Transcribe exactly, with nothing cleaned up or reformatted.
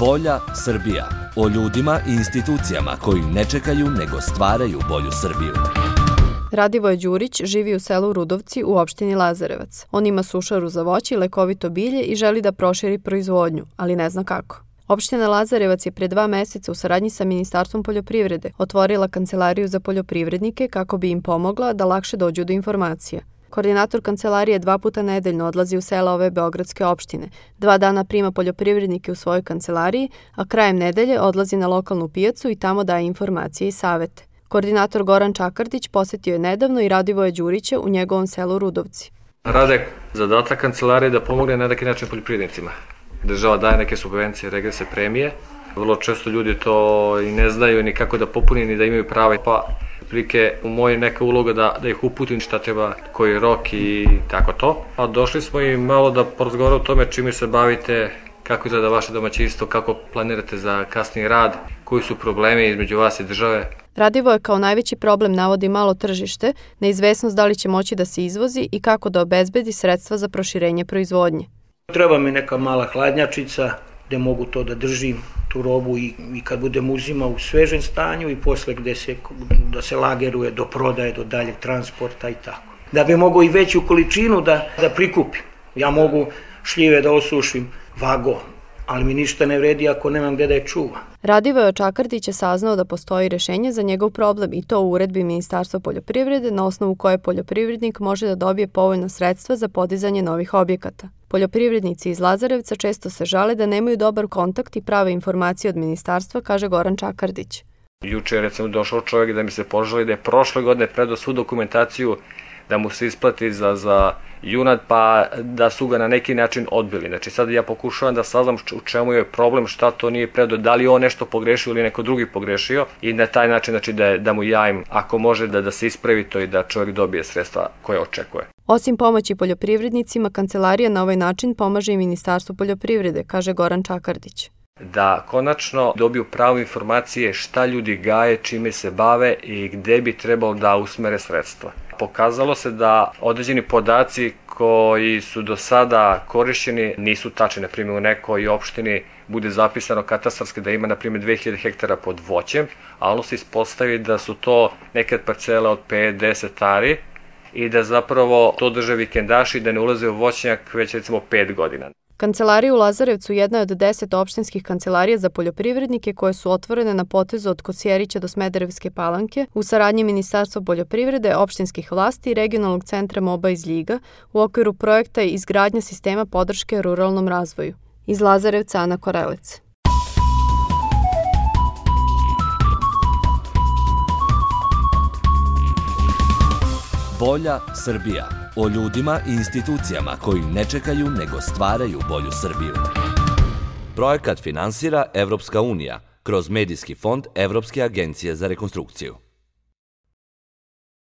Bolja Srbija. O ljudima i institucijama koji ne čekaju nego stvaraju bolju Srbiju. Radivoje Đurić živi u selu Rudovci u opštini Lazarevac. On ima sušaru za voće i lekovito bilje i želi da proširi proizvodnju, ali ne zna kako. Opština Lazarevac je pre dva meseca u saradnji sa Ministarstvom poljoprivrede otvorila kancelariju za poljoprivrednike kako bi im pomogla da lakše dođu do informacija. Koordinator kancelarije dva puta nedeljno odlazi u sela ove beogradske opštine. Dva dana prima poljoprivrednike u svojoj kancelariji, a krajem nedelje odlazi na lokalnu pijacu i tamo daje informacije i savete. Koordinator Goran Čakardić posetio je nedavno i Radivoje Đurića u njegovom selu Rudovci. Rade zadatak kancelarije da pomogne na neki način poljoprivrednicima. Država daje neke subvencije, regrese, premije. Vrlo često ljudi to i ne znaju ni kako da popuni, ni da imaju prava. Pa prilike u mojoj neka uloga da, da ih uputim šta treba, koji je rok i tako to. A došli smo i malo da porazgovaramo o tome čime se bavite, kako izgleda vaše domaćinstvo, kako planirate za kasniji rad, koji su problemi između vas i države. Radivoje kao najveći problem navodi malo tržište, neizvesnost da li će moći da se izvozi i kako da obezbedi sredstva za proširenje proizvodnje. Treba mi neka mala hladnjačica gde mogu to da držim, tu robu i, i kad budem uzima u svežem stanju i posle gde se, da se lageruje do prodaje, do daljeg transporta i tako. Da bi mogu i veću količinu da, da prikupim. Ja mogu šljive da osušim vagom, ali mi ništa ne vredi ako nemam gde da je čuvam. Radivoje Čakardić je saznao da postoji rešenje za njegov problem i to u uredbi Ministarstva poljoprivrede na osnovu koje poljoprivrednik može da dobije povoljna sredstva za podizanje novih objekata. Poljoprivrednici iz Lazarevca često se žale da nemaju dobar kontakt i prave informacije od ministarstva, kaže Goran Čakardić. Juče je recimo došao čovjek da mi se požali da je prošle godine predao svu dokumentaciju da mu se isplati za, za junad, pa da su ga na neki način odbili. Znači sad ja pokušavam da saznam u čemu je problem, šta to nije predao, da li on nešto pogrešio ili neko drugi pogrešio i na taj način znači, da, da mu javim ako može da, da se ispravi to i da čovjek dobije sredstva koje očekuje. Osim pomoći poljoprivrednicima, kancelarija na ovaj način pomaže i Ministarstvu poljoprivrede, kaže Goran Čakardić. Da konačno dobiju prave informacije šta ljudi gaje, čime se bave i gde bi trebalo da usmere sredstva. Pokazalo se da određeni podaci koji su do sada korišćeni nisu tačni. Na primjer, u nekoj opštini bude zapisano katastarski da ima na primjer dve hiljade hektara pod voćem, a ono se ispostavi da su to nekad parcele od pet do deset ari i da zapravo to drže vikendaši da ne ulaze u voćnjak već recimo pet godina. Kancelarija u Lazarevcu jedna je od deset opštinskih kancelarija za poljoprivrednike koje su otvorene na potezu od Kosjerića do Smederevske Palanke u saradnji Ministarstva poljoprivrede, opštinskih vlasti i regionalnog centra MOBA iz Ljiga u okviru projekta izgradnja sistema podrške ruralnom razvoju. Iz Lazarevca Ana Korelec. Bolja Srbija. O ljudima i institucijama koji ne čekaju nego stvaraju bolju Srbiju. Projekat finansira Evropska unija kroz Medijski fond Evropske agencije za rekonstrukciju.